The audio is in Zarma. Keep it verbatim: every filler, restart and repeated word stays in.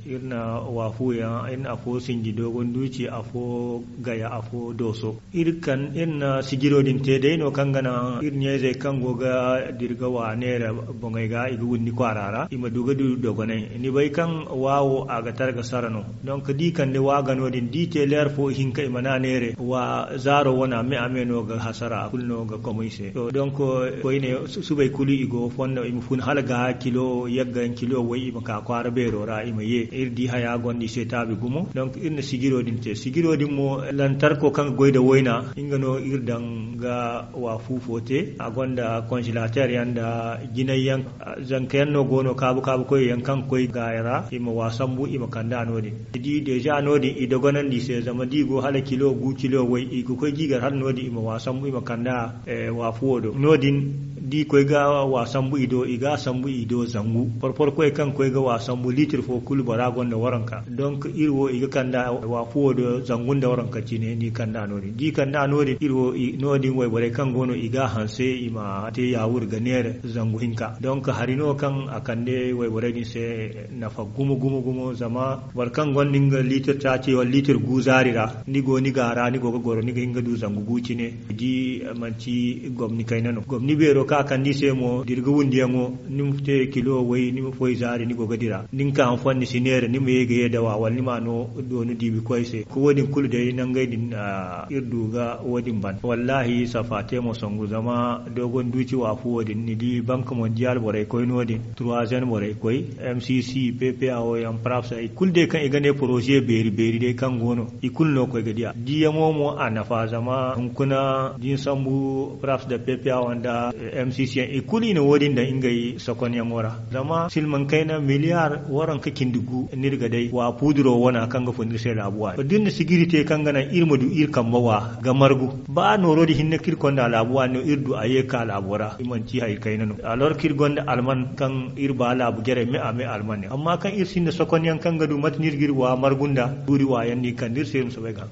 Iri na waafuyaŋ, iri na afo sinji dogon duuci, afo gaya, afo dooso. Iri na sijiro din te day no kaŋ ga naŋ iri ɲayzey kaŋ go ga dira ga wa neera boŋey ga i ga windi kwaara ra i ma du ga du dogonay. Ni bay kaŋ waawo a ga tara ga sara no. Donk da i kande waa ga no- din da i te leer fo ihinka i mana neere waa zaaro wana me a me no ga hasara a kulu no ga komo i se. Donk koyne subay kulu i go fondo i ma fun hala ga kilo yagga yaŋ kilo way i ma ka kwaara beero ra i ma ye iri di haya gonda i se taabi gumo. Donk iri na sijiro din te sijiro din mo lantarko kaŋ ga goy nda wayna nga no iri daŋ ga waafu fo te a gonda konsilateer yaŋ nda jinay yaŋ. Zanka yaŋ no go no kaabu kaabu koy yaŋ kaŋ ga koy gaaya ra i ma waa sambu i ma kand'a no- din. Ni di deeza no- din i dogonandi i se zama da i go hala kilo gu kilo way i ga koy ga i gar hala no- din i ma waa sambu i ma kand'a. Waafuwo do no- din da i koy ga waa sambu i do i ga a sambu i do zangu porpor koy kaŋ ga koy ga waa sambu liitir fo kulu bora gonda waranka donk iri wo i ga kand'a waafuwo do zangu nda waranka cine ni kand'a no- din da i kand'a no- din iri wo no- din wayborey kaŋ go no i ga a hanse i ma te yaawur ga neera zangu hinka donk hari no kaŋ a kande wayborey din se. Nafa gumo gumo gumo zama boro kaŋ gonda nga liitir taaci wala liitir gu zaari ra ni go ni ga a ra ni go ga goro ni ga hin ga du zangu gu cine. Ni di manti gomni kayna no gomni beero kaŋ a kande i se mo da iri ga wundiyaŋo ni ma te kilo way ni ma foy zaari ni go ga dira da ni ka hanfo ni si neera ni ma ye ga ye dawa wala ni ma no doonu diibi koy se ko wo- din kulu day nangey din. Iri du ga wo- din ban wallaahi safa te mo songu zama doogon duuci waafu wo- din ni di bank mondial borey koy no- din troisième borey koy mcc ppa wo yaŋ praps hari kulu day kaŋ i ga ne poroze beeri beeri day kaŋ go no i kulu no koy ga diya diyaŋo mo a nafa zama hunkuna da ni sambu praps nda ppa wo nda mcc yaŋ i kulu i na wo- din daŋ ngey sokonyaŋo ra. Zama silmaŋ kayna miliyar waranka cindi gu no iri ga day wa puuduro wana kaŋ ga fun iri se laabu waani to da iri na sijiri te kaŋ ga naŋ iri ma du iri kambe wa ga margu ba nooro din hinne kaŋ iri konda laabu waani no iri du a ye ga ka laabo ra i manti hari kayna no alors kaŋ iri gonda alman kaŋ iri ba laabu jarey me a me alman yaŋ amma kaŋ iri sinda sokonyaŋ kaŋ ga du mate no iri ga iri wa margu nda tuuri waayaŋ no i kande iri se iri ma soobay ga.